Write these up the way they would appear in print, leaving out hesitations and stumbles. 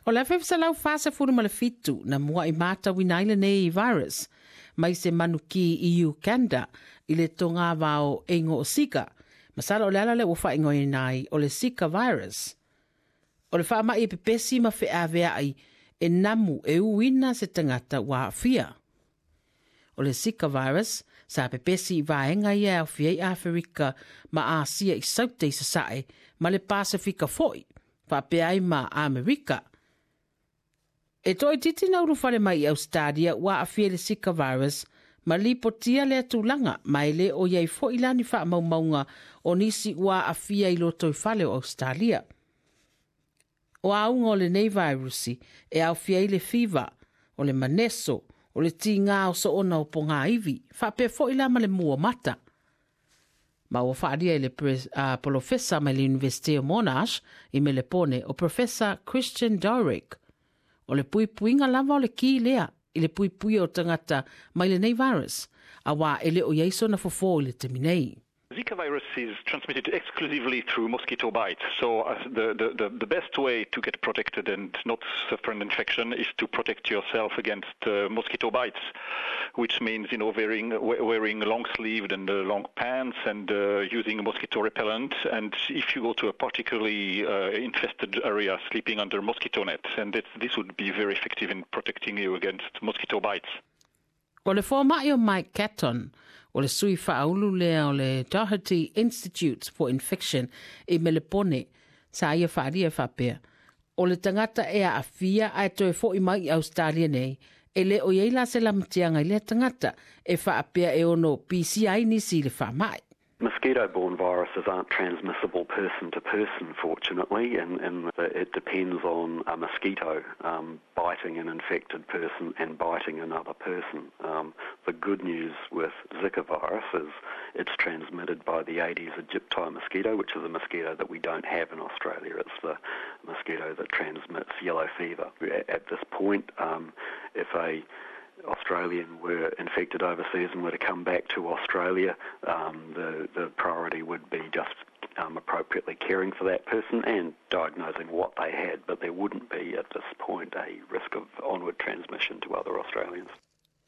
O le 1947 na mua'i matauina ai lenei virus mai se manuki i Uganda i le togavao e igoa o Zika. Masalo o le ala lea ua faaigoaina ai o le Zika virus. O le faama'i e pepesi ma feavea'i e namu e uina se tagata ua aafia. O le Zika virus sa pepesi i vaega ia e aofia ai Aferika ma Asia i Saute i Sasae ma le Pasefika foi, faapea ai ma Amerika. E toaitiiti na ulufale mai i Ausetalia ua aafia i le Zika virus ma lipotia lea tulaga ma e le o i ai foi la ni faamaumauga o nisi ua aafia i lotoifale o Ausetalia. O auga o lenei vairusi e aofia ai le fiva, o le maneso, o le tigā o soona o pogāivi, faapea foi la ma le mua mata. Ma ua faaalia e le polofesa mai le Iunivesite o Monash i Melepone o Professor Christian Dowrick. O le puipuiga lava o le ki lea i le puipuia o tagata mai lenei virus, auā e le o i ai sona fofo i le taimi nei. Zika virus is transmitted exclusively through mosquito bites. So the, the, the, the best way to get protected and not suffer an infection is to protect yourself against mosquito bites, which means, wearing, wearing long-sleeved and long pants and using mosquito repellent. And if you go to a particularly infested area, sleeping under mosquito nets. And this would be very effective in protecting you against mosquito bites. O le fomai o Mike Catton, o le sui faaulu lea o le Doherty Institute for Infection i Melepone, sa ia faaalia e faapea, o le tagata e aafia ae toe fo'i mai i Ausetalia nei, e le o i ai la se lamatiaga i lea tagata e faapea e ono pisia ai nisi i le faamai. Mosquito-borne viruses aren't transmissible person to person, fortunately, and, and it depends on a mosquito biting an infected person and biting another person. The good news with Zika virus is it's transmitted by the Aedes aegypti mosquito, which is a mosquito that we don't have in Australia. It's the mosquito that transmits yellow fever. At this point, if a Australian were infected overseas and were to come back to Australia, the, the priority would be just appropriately caring for that person and diagnosing what they had, but there wouldn't be at this point a risk of onward transmission to other Australians.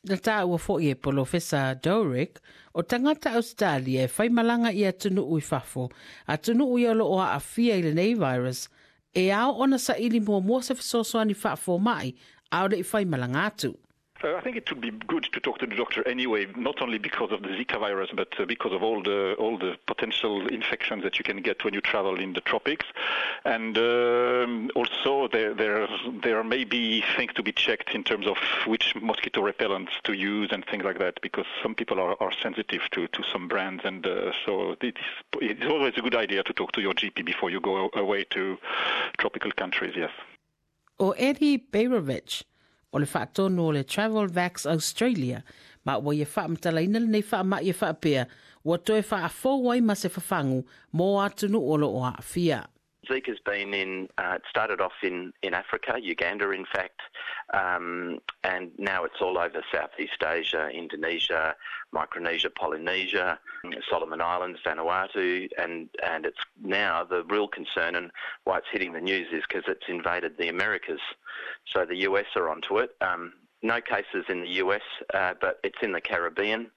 Na taua foi e Polofesa Dowrick, o tagata Ausetalia e faimalaga i atunuu i fafo, atunuu ia o lo o aafia i lenei virus, e ao ona saili muamua se fesoasoani faafomai a o le i faimalaga atu. I think it would be good to talk to the doctor anyway, not only because of the Zika virus, but because of all the all the potential infections that you can get when you travel in the tropics, and also there there there may be things to be checked in terms of which mosquito repellents to use and things like that, because some people are, are sensitive to, to some brands, and so it is, it's always a good idea to talk to your GP before you go away to tropical countries. Yes. O Eddie Beirovich, o le faatonu o le Travel Vax Australia, ma ua ia faamatalaina lenei faamai e faapea, ua toe faafou ai ma se fafagu mo atunuu o lo o aafia. Zika's been in, it started off in, in Africa, Uganda in fact, and now it's all over Southeast Asia, Indonesia, Micronesia, Polynesia, Solomon Islands, Vanuatu, and, and it's now the real concern and why it's hitting the news is because it's invaded the Americas. So the US are onto it. No cases in the US, but it's in the Caribbean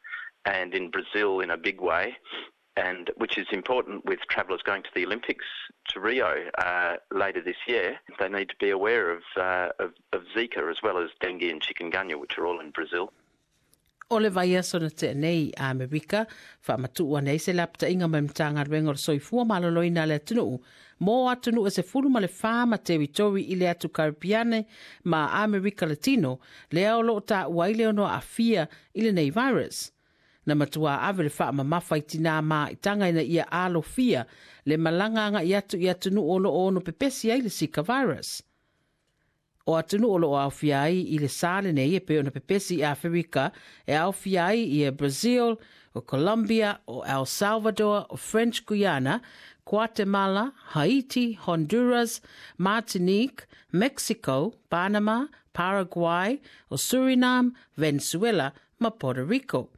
and in Brazil in a big way and which is important with travellers going to the Olympics to Rio later this year. They need to be aware of, of, of Zika as well as dengue and chikungunya, which are all in Brazil. O le vaiaso na tea nei a Amerika, faamatuu ane ai se lapataiga mai Matagaluega o le Soifua Maloloina a le atunuu mo atunuu e 14 ma teritori i le atu Karipiane ma Amerika Latino, lea o lo o taua ai le ono aafia i lenei virus. Na matua ave le faamamafa i tinā māitaga ina ia alofia le malaga agai atu i atunuu o lo o ono pepesi ai le Zika virus. O atunuu o lo o aofia ai i le sa lenei e pei ona pepesi i Aferika e aofia ai ia Brazil, o Colombia, o El Salvador, o French Guiana, Guatemala, Haiti, Honduras, Martinique, Mexico, Panama, Paraguay, o Suriname, Venezuela ma Puerto Rico.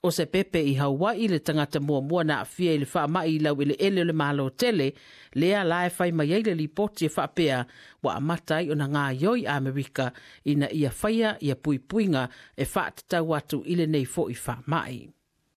O se pepe i Hawaii le tagata muamua na aafia i le faamai i laueleele o le Malo tele, lea la e fai mai ai le lipoti e faapea ua amata ai ona gaioi Amerika ina ia faia ia puipuiga e faatatau atu i lenei fo'i faamai.